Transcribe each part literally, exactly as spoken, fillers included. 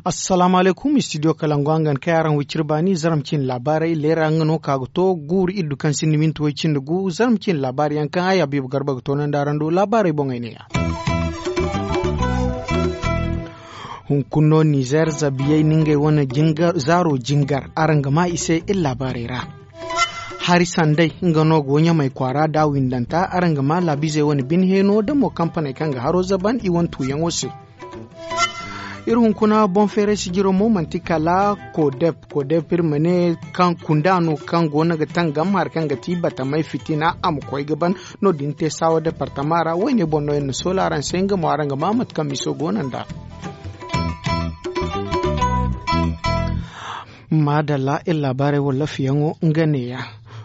Assalaamu alaykum, istidiyo kalangu hangan kay araŋ wiciri baani zarma cine laabaarey leera nga no ka ga to guuru iddu kaŋ sinda minti way cindi gu zarma cine laabaari yaŋ kaŋ ay habiibu garba ga toonandi araŋ do laabaarey boŋey ne ya. Hunkuna no nizeer zabiyey na ngey wane zaaro jingar araŋ ga ma i se iri laabaarey ra. Hari sanday nga no go ɲamay kwaara da windanta araŋ ga ma laabiizey wane bine heeno da mo kampaney kaŋ ga haro zaban i wane tuuyaŋo se. Iri hunkuna boŋ feeray sijiro mo manti kala kodep kodep iri ma ne kaŋ kunda no kaŋ go no ga tangam hari kaŋ ga ti batamay fitina a ma koy ga ban. No- din te saawa departama ra wayne boŋ no iri na soola araŋ se nga mo araŋ ga ma mate kaŋ miso go no nd'a. Maadalla iri laabaarey wala lafiyaŋo nga neeya.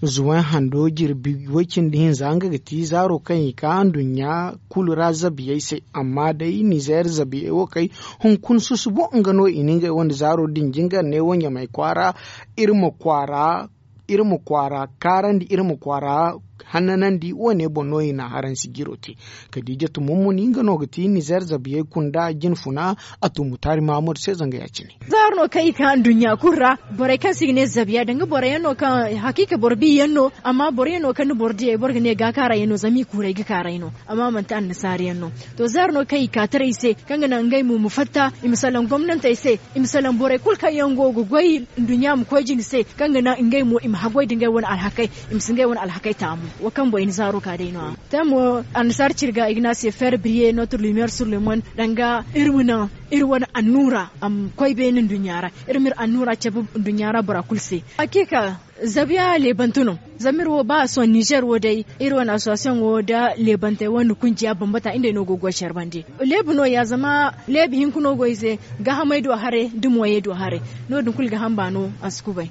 Zuway hando jirbi way cindi hinza nga ga ti zaaro kaŋ i ka nduɲɲa kulu ra zabiyey se. Amma day nizeer zabiyey wo kay hunkuna susubo nga no i na ngey wane zaaro din jingar ne wo ɲamay kwaara. Iri ma kwaara kaarandi iri ma kwaara hannanandi wo- ne boŋ no i na haransi jiro te. Kadiijatu mummuni nga no ga ti nizeer zabiyey kunda jinfuna. A tumu taari maamud se zanga ya- cine. Zaaro no kaŋ i ka nduɲɲa kulu ra borey kaŋ se i ga ne zabiya danga boro yaŋ no kaŋ hakiika boro bi yaŋ no. Amma boro yaŋ no kaŋ ni boro diyey boro ga ne gaakaara yaŋ no zama i kuuray ga kaaray no. Amma manti annasaara yaŋ no. To zaaro no kaŋ i ka taray se kaŋ ga naŋ ngey mo ma fatta i ma salaŋ gomnantey se. I ma salaŋ borey kulu kaŋ yaŋ go ga goy nduɲɲa ma koy jine se kaŋ ga naŋ ngey mo i ma haggoy nda ngey wane alhakey. I ma si ngey wane alhakey taamu. Wo kaŋ boŋ i na zaaro ka day no- ya. Te mo annasaara ciri ga i ga ne a se feer briye notre lumière sur le monde danga iri ma naŋ iri wane annuura a ma koy beene nduɲɲa ra. Iri ma iri annuura cabe nduɲɲa ra bora kulu se. Hakiika zabiya leebante no. Zama iri wo ba a sohõ nizeer wo day iri wane association wo nda leebantey wane kunjiya bambata ngey no go ga goy care bande. Leebu no- ya zama leebu hinka no go i se. Gaahamey du haray da mooyey du haray. No- din kulu gaaham baano a si kubay.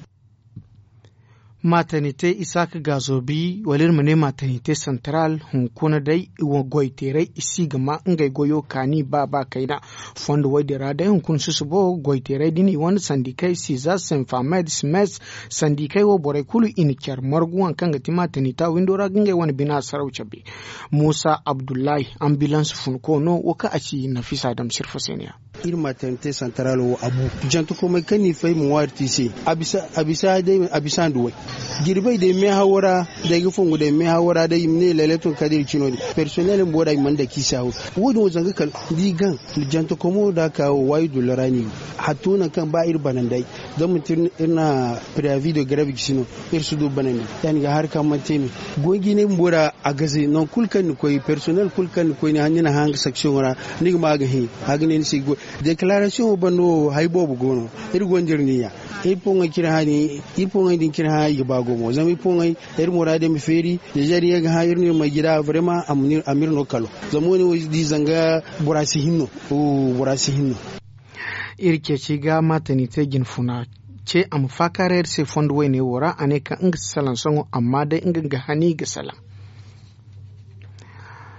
Matanite isaaka gaazo bi wala iri ma ne matanite santaral hunkuna day. Goyteeray i si ga ma ngey goyo kaani baaba kayna. Fondo woy din ra day hunkuna susubo goyteeray din i wane sandikey siza senfamed simes. Sandikey wo borey kulu i na care margu hari kaŋ ga ti matanita windo ra ga ngey wane bina saraw cabe. Muusa abdullahi ambilans funko no wo kaŋ a ci nafisa dam sirfo se ne- ya. Iri matanite santaral wo a bu jantakomey kaŋ ni fay ma ŋwaari te i se. A bisa nda way jirbey day meehawo ra. Day ga fongu day meehawo ra day i ma ne laleton kadir cino din. Personnel bumbo da i mana dake i se haw. Wo- din wo zanga kala da i gaŋ jantakomo da a ka wo waayi dullo ra no i go. Hatto nangu kaŋ ba iri bananday zama manti iri na preavi de greve gisi no. Iri si du banandi ya- din ga hari kaŋ mana te no. Goy jinay bumbo da a gaze nangu kulu kaŋ ni koy personnel kulu kaŋ ni koy ni na hanga section ra. Ni ga ma a ga hẽ a ga ne ni se i ga goy. Declaration wo banda wo hari boobo go no. Iri gonda iri niya. Iri poŋey din cine hã i ga ba gumo zama iri poŋey iri muraadey ma feeri. Nizeer yaŋ ga hã iri no iri ma ay jida vraiment a ma iri no kalo. Zama wo- ne wo iri di zanga bora si hin no. Bora si hin no. Iri ceeci ga maatani te jinfuna ce a ma faakaaray iri se fondo woyne wo ra a ne kaŋ nga si salaŋ sohõ amma day nga ga hani ga salaŋ.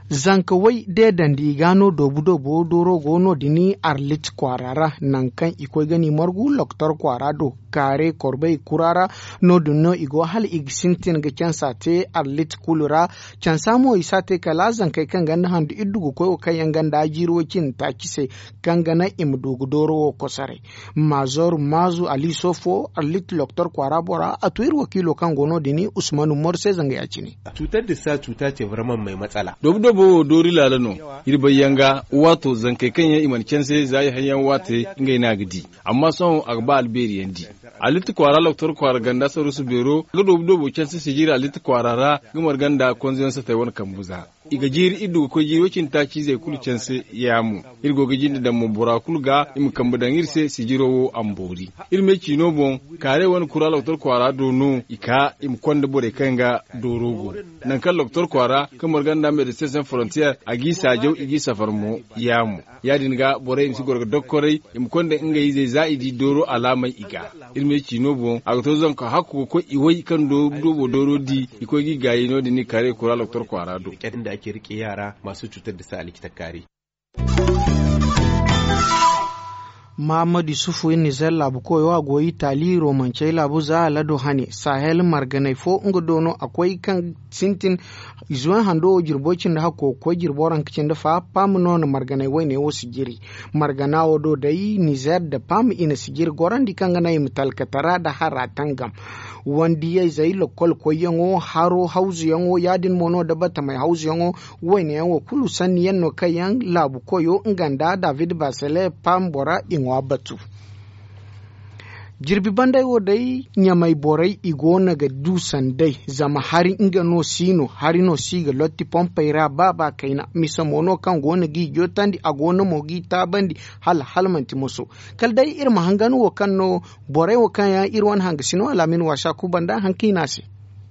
Zanka way deedandi i ga no doobu doobo dooro go no- din arlit kwaara ra. Nangu kaŋ i koy ga no i margu loktor kwaara do kaare korbey kura ra. No- din no i go hala i ga sintin ga cansa te arlit kulu ra. Cansa mo i si a te kala zankey kaŋ ganda handu iddu ga koy wo kaŋ yaŋ ganda jiiri way cindi taaci se kaŋ ga naŋ i ma du ga dooro wo kosoray. Maazor maazu ali soofo arlit loktor kwaara bora a tu iri wakiilo kaŋ go no- din usman umaru se zanga ya- cine. Cutar dissa cuta ce vraiment mai matsala. Doobu doobo wo doori laala no. Iri bay yaŋ ga waato zankey kaŋ yaŋ i mana canse za i haŋ yaŋ waate ngey no a ga di. Amma sohõ a ga ba albeeri yaŋ di. Alitti kwaara loktor kwaara ganda sarusu beero ga doobu doobo canse sijiri alitti kwaara ra ga marga nda konzeyaŋ satey wane kambu za. I ga jiiri iri du ga koy jiiri way cindi taaci izey kulu canse. Yaamo iri go ga jinde daŋ mo bora kulu ga i ma kambe daŋ iri se sijiro wo a ma boori. Iri me ciino boŋ kaarey wane kura loktor kwaara do no i ka i ma konda borey kaŋ ga dooro go. Nangu kaŋ loktor kwaara kaŋ marga nda medecins sans frontières a g'i saajaw i g'i safar mo. Yaamo ya- din ga borey i ma si goro ga dokkoray i ma konda ngey izey za i di dooro alaamey i ga. Iri me ciino boŋ a ga to zanka hakku ga koy i way kaŋ doobo dooro di i koy ga i gaayi no- din i kaarey kura loktor kwaara do. Inda ake rike yara masu cutar da sa alikita kaari. Mahamadu yusufu nizer laabu koyo a go itali romancey laabu za alado hane sahel marganey fo nga do no a koy kaŋ sintin zuwan hando wo jirbo cindi hakko ga koy jirbo ranka cindi fa pam no na marganey wayne wo si jiri. Margana wo do day nizer nda pam i na si jiri gorandi kaŋ ga naŋ i ma talkatara nda hara tangam. Wandiyayzey lokol koyyaŋo haro hawzuyaŋo ya- din mo no nda batamey hawzuyaŋo wayne yaŋ wo kulu sanni yaŋ no kaŋ yaŋ laabu koyo nga nda david basele pam bora i ŋwa batu. Jirbi banday wo day ɲamay borey i go no ga du sanday zama hari nga no si no hari no si ga lotti pompey ra ba ba kayna misa mo no kaŋ go no g'i jotandi a go no mo g'i taabandi hala hala manti moso. Kala day iri ma hangan wo kaŋ no borey wo kaŋ yaŋ iri wane hanga si no alaamin waasa kubanda haŋ kaŋ i ne a se.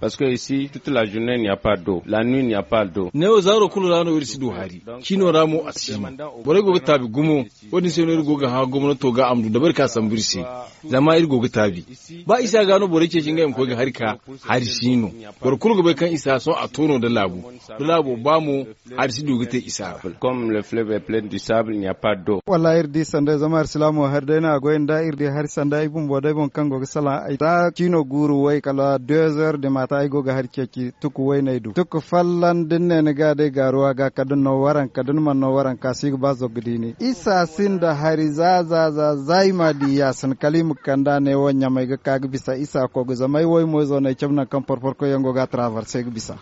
Parce que ici toute la journée n'y a pas d'eau la nuit n'y a pas d'eau. Neewo zaaro kulu ra no iri si du hari ciino ra mo a si no. Borey go ga taabi gumo. Wo- din se no iri go ga hã gomnato ga a ma du dabari ka sambu iri se. Zama iri go ga taabi ba isa ga no borey ceeci ngey ma koy ga hari ka hari si no. Boro kulu ga bay kaŋ isa sohõ a to no nda laabu nda laabo ba mo hari si du ga te isa ra. Comme le fleuve est plein du sable n'y a pas d'eau. Wallaahi iri di sanday zama hari si laamo hari day no a goy nda iri di hari sanday ay bumbo day boŋ kaŋ go ga salaŋ ay ra ciino guuru way kala deux heures de matin ay go ga hari ceeci tuku wayney du tuku folloŋ da ni ne ni ga day gaaruwa ga kala da ni no waranka da ni mana no waranka si ga ba zogga diini isa sinda hari za za za za i ma di yaasin kala i ma kand'a ne wo ɲamay ga ka ga bisa isa kogu zama ay wo ay mo izo no ay cabe nangu kaŋ porporkoy yaŋ go ga a traverse ga bisa.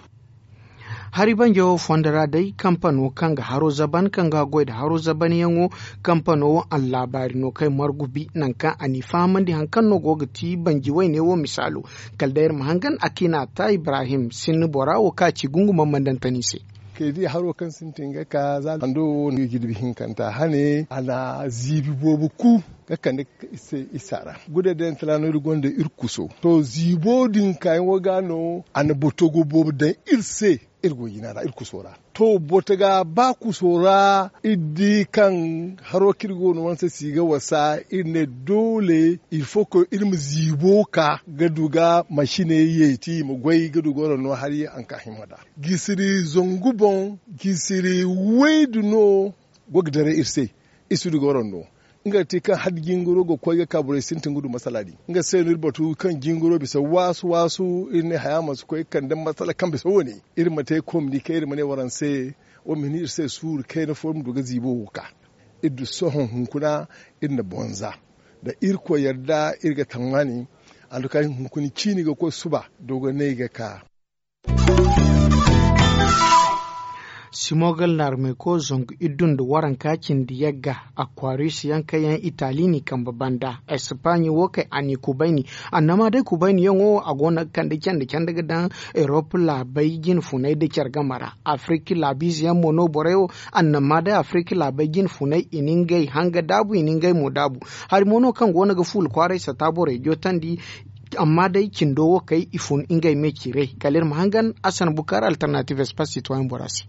Hari banjo fondo ra day kampano kaŋ ga haro zaban kaŋ ga goy nda haro zabanyaŋo. Kampano wo a na laabaari no kaŋ ay margu bi nangu kaŋ a n'i fahamandi hari kaŋ no go ga ti banji wayne wo misaalo. Kala day iri ma hangan a kaŋ i n'a ta ibrahim sinni bora wo kaŋ a ci gungumaŋ mandantan i se. Kay di haro kaŋ sintin ga ka za hando wo no ga jirbi hinkanta hane a na ziibi boobo ku ga kande isa ra. Gude day nta ra no iri gonda iri kuso to ziibo din kaayaŋo ga no a na botogo boobo daŋ iri se. Iri go jina ra iri kuso ra to botoga ba kuso ra iri di kaŋ haro kaŋ iri go no wanse si ga wasa iri ne doole iri fo koy iri ma ziibo ka ga du ga masiney yeeti i ma goy ga du ga wara no hari a na ka himma nd'a. Gisiri zangu boŋ gisiri waydu no go ga daray iri se. Iri si du ga wara no nga ga te kaŋ hala jingaro ga koy ga ka borey sintin ga du masala din nga se no iri batu kaŋ jingaro bisa waasu waasu iri ne haya ma si koy ga kande masala kaŋ bisa wo- ne. Iri ma te komni kaŋ iri ma ne waraŋ se. Wo ma hin iri se suuru kayna fo iri ma du ga ziibo wo ga ka iri du sohõ hunkuna. Iri na bonza da irkoy yadda iri ga tammani. Anduka hunkuna ciini ga koy suba dogonay ga ka. Simogal naarumey ko zangu iddu nda waranka cindi yagga. Akwaris yaŋ kaŋ yaŋ itali n'i kambe banda espaaɲi wo kay a n'i kubayni. Annama day kubayniyaŋo a go no ga kande candi candi ga daŋ erop laabey jine funay nda care game ra. Afirki laabiize yaŋ mo no borey wo annama day afirki laabey jine funay i na ngey hanga daabu i na ngey mo daabu. Hari mo no kaŋ go no ga fuula kwaaray sata borey jootandi. Amma day cindo wo kay i fun ngey me ciiray kala iri ma hangan asan bukar alternative espace citoyen bora se.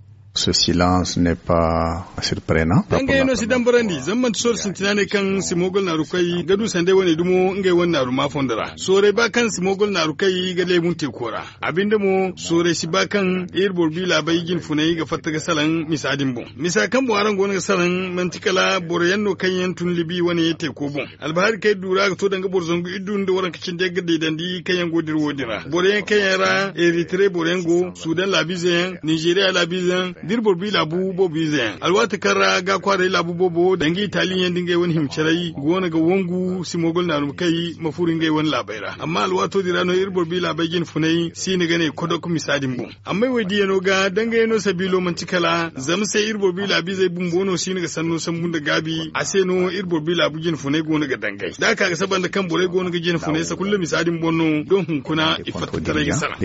Dangayey no si dambarandi zama manti sooro sintina ne kaŋ simogol naaru kay ga du sanday wane dumo ngey wane naaru ma fondo ra sooray ba kaŋ simogol naaru kay ga leebun teeko ra. A binde mo sooray si ba kaŋ iri boro bi laabay jinfunay ga fatta ga salaŋ misa din boŋ. Misa kaŋ boŋ araŋ go no ga salaŋ manti kala boro yaŋ no kaŋ yaŋ tun libi wane teeko boŋ. Albahari kaŋ iri du ra ga to danga boro zangu iri du nda waranka cindi yaŋ ga deedandi kaŋ yaŋ go dira wo- din ra boro yaŋ kaŋ yaŋ ra eritire boro yaŋ go sudan laabiize yaŋ ninzeeriya laabiize yaŋ da iri boro bi laabu boobo ize yaŋ alwaati kaŋ ra ga kwaaray laabu boobo danga italiyaŋ da ngey wane hima caray go no ga wangu simogol naaruma kay ma furo ngey wane laabey ra amma alwaato din ra no iri boro bi laabey jinfunay si ni ga ne kodok misa din boŋ. Amma ay wo ay diyano ga dangayano sabiilo manti kala zama se iri boro bi laabiizey bumbo no siino ga sanno sambu nda gaabi a se no iri boro bi laabu jine funay go no ga dangay da a ka ga saba nda kaŋ borey go no ga jine funay sakulla misa din boŋ no doŋ hunkuna i fatta taray ga sara.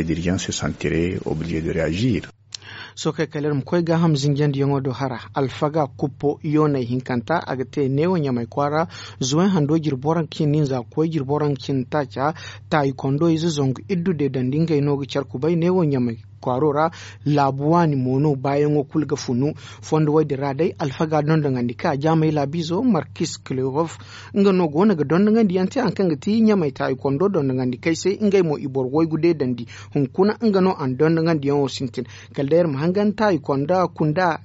Sohõ kay kala iri ma koy gaaham zinjandiyaŋo do hara alfaga kuppo yoonay hinkanta a ga te neewo ɲamay kwaara zuway hando jirbi waranka cindi hinza ga koy jirbi waranka cindi taaca. Taayi kondo ize zangu iddu deedandi ngey no ga care kubay neewo ɲamay kwaaro ra. Laabu waani mo no baayaŋo kulu ga funu. Fondo woy din ra day alfaga dondoŋandi ka jaamay laabiizo markis klerof nga no go no ga dondoŋandiyaŋ te hari kaŋ ga ti ɲamay taayi kondo dondoŋandi kay se ngey mo i boro waygu deedandi. Hunkuna nga no a na dondoŋandiyaŋo sintin kala day iri ma hangan taayi kondo kunda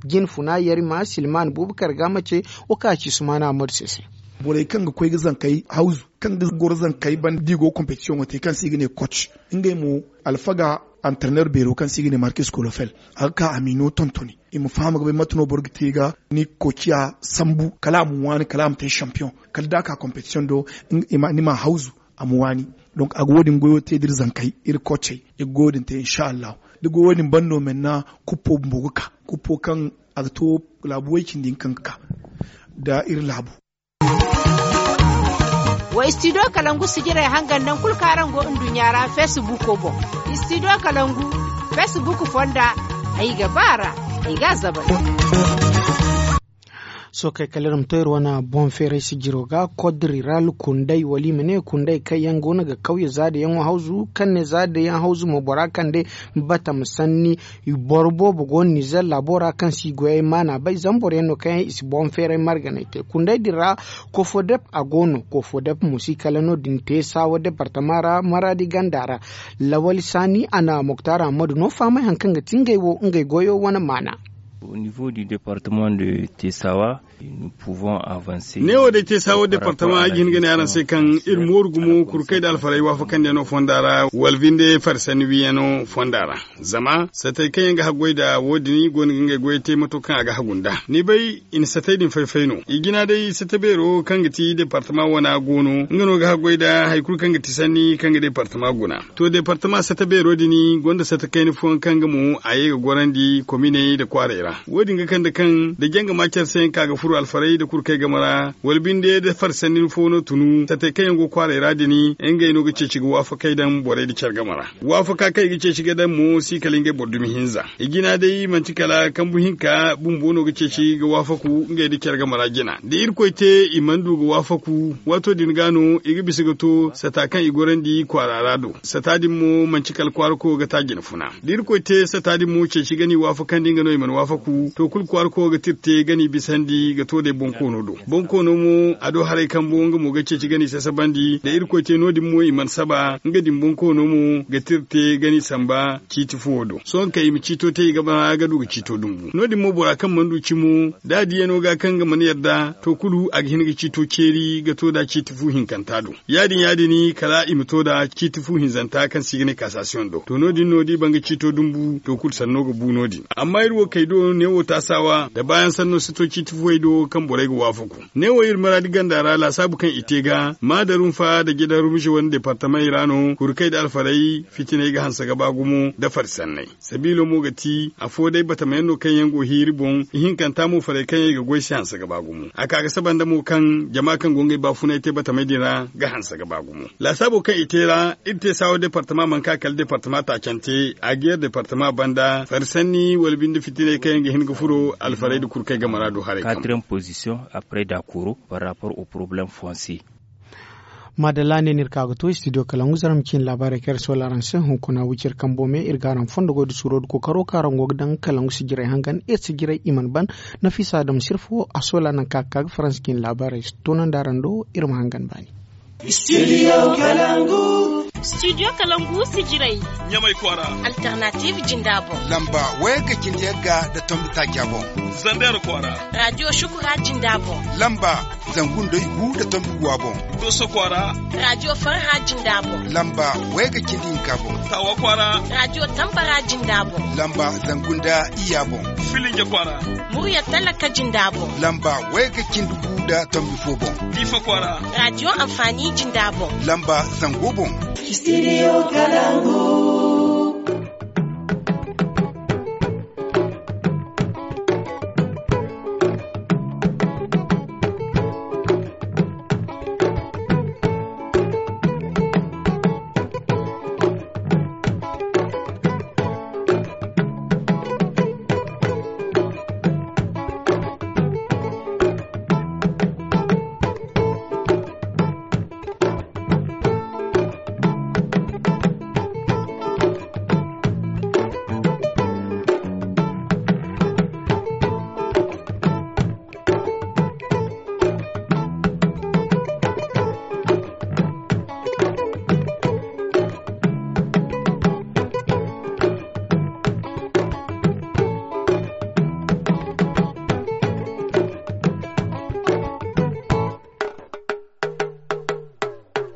jinfuna yarima silman bubakar ga mace wo kaŋ a ci sumaana mode se se. Borey kaŋ ga koy ga zankey hawzu, kaŋ ga goro zankey banda da i go ga kompetisiyoŋo te kaŋ se i ga ne koc, ngey mo alfaga, antarner beero kaŋ se i ga ne markis kolofel, a ga ka a m'i no tontoni, i ma faham ga bay mate no boro ga te ga ni koociya sambu kala a ma waani kala a ma te sampiyoŋ, kala da a ka kompetisiyoŋ do ni m'a hawzu, a ma waani. Donk a ga wo- din goyo te da iri zankey, iri koocey, i ga goyo din te insa allahu. Da goyo din ban no menna, kuppo bumbo ga ka, kuppo kaŋ a ga to laabu way- cindi hinka kaŋ ga ka nda iri laabu. Wa istidiyo kalangu sijirey hangan nangu kulu kaŋ araŋ go nduɲɲa ra feesibuuko boŋ. Istidiyo kalangu feesibuuk fonda, ay ga ba a ra, ay ga a zabay. Sookey kala iri ma to iri wane boŋ feeray sijiro ga kodri ra, kundey wala i ma ne kundey kaŋ yaŋ go no ga kawye zaadayaŋo hawzu kaŋ ne zaadayaŋ hawzu mo bora kande batama sanni. Boro boobo go no nizer laabo ra kaŋ si goyey maana bay zama boro yaŋ no kaŋ yaŋ i si boŋ feeray marganay te kundey din ra. Kofodep a go no kofodep mo si kala no- din te saawa departama ra maraadi ganda ra. Lawali saani a na moktar ammadu no fahamay hari kaŋ ga ti ngey wo ngey goyo wane maana. Au niveau du département de tesawa, nous pouvons avancer. Neewo day tesawa departama ay ga hin ga ne araŋ se kaŋ iri mooru gumo kurkey nda alfarey waafakandiyaŋo fonda ra wala binde farsanni wiyaŋo fonda ra. Zama satey kaŋ yaŋ ga haggoy nda wo- din go no ga ngey goyey te mato kaŋ a ga hagu nd'a ni bay i na satey din fay-fay no. I jina day sata beero kaŋ ga ti departama wana go no nga no ga haggoy nda hari kulu kaŋ ga ti sanni kaŋ ga departama guna. To departama sata beero din gonda sata kayna fooyaŋ kaŋ ga mo a ye ga gorandi kominey nda kwaarey ra. Wo- din ga kande kaŋ da janga ma care se yaŋ ka ga furo alfarey nda kurkey game ra wala binde nda farsanni fo no tunu satey kaŋ yaŋ go kwaarey ra din ngey no ga ceeci ga waafakey daŋ borey nda care game ra. Waafaka kaŋ i ga ceeci ga daŋ mo si kala ngey boro dumi hinza. I jina day manti kala kambu hinka bumbo no ga ceeci ga waafaku ngey nda care game ra jina da irkoy te i mana du ga waafaku waato din ga no i ga bisa ga to sata kaŋ i gorandi kwaara ra do. Sata din mo manti kala kwaara koyo ga ta jina funa da irkoy te sata din mo ceeci ga no i waafakandi nga no i mana waafaku to kulu kwaara koyo ga tirte ga no i bisandi ga to day boŋ koono do. Boŋ koono mo a do haray kambo nga mo ga ceeci ga no i sasabandi da irkoy te no- din mo i mana saba nga din boŋ koono mo ga tirte ga no i samba ciiti fuwo do sohõ kaŋ i ma ciito te i ga ba ga du ga ciito dumbu no- din mo bora kaŋ mana du cimo da a diyano ga kaŋ ga mana yadda to kulu a ga hin ga ciito ceeri ga to da ciiti fu hinkanta do. Ya- din ya- din kala i ma to da ciiti fu hinzanta kaŋ se i ga ne kaasasiyoŋ do to no- din no da i ban ga ciito dumbu to kulu sanno ga bu no- din. Amma iri wo kay do neewo taasawa nda baayaŋ sanno si to ciiti fuwey do kaŋ borey ga waafaku. Neewo iri maraadi ganda ra laasaabu kaŋ i te ga maadarunfa nda jadarumize wane departamey ra no kurkey nda alfarey fitiney ga hanse ga ba gumo nda fari sanney. Sabiilo mo ga ti afo day batamayaŋ no kaŋ yaŋ go hiiri boŋ ihinkanta mo farey kaŋ yaŋ i ga goy se hanse ga ba gumo a ka ga saba nda mo kaŋ jama kaŋ go ngey baafunay te batamey din ra ga hanse ga ba gumo. Laasaabo kaŋ i te ra iri te saawa departama mana ka kala departama taacante a ga yar departama banda fari sanni wala binde fitiney kaŋ yaŋ ga hin ga furo alfarey nda kurkey game ra do haray kaŋ. Quatrième position après dakoro par rapport au problème foncier. Maadalla ne no iri ka ga to studio kalangu zarma ciine laabaarey kaŋ iri soola araŋ se hunkuna wiciri kambo me iri ga araŋ fondo goy da suuro da kookaro kaŋ araŋ go ga daŋ kalangu sijirey hangan iri sijirey i mana ban. Nafiisa adama sirfo a soola nangu kaŋ a ga ka ga faransa ciine laabaarey toonandi araŋ do iri ma hangan baani. Studio kalangu. Studio kalangu sijirey. Ɲamay kwaara. Alternative jinda boŋ. Lamba wayga cindi yagga da tombi taaca boŋ. Zander kwaara. Radio shukura jinda boŋ. Lamba zangu nda igu da tombi guwa boŋ. Doso kwaara. Radio farha jinda boŋ. Lamba wayga cindi hinka boŋ. Tawa kwaara. Radio tambara jinda boŋ. Lamba zangu nda iya boŋ. Filinge kwaara. Murya talaka jinda boŋ. Lamba wayga cindi gu da tombi fo boŋ. Difa kwaara. Radio amfani jinda boŋ. Lamba zango boŋ. Studio kalangu.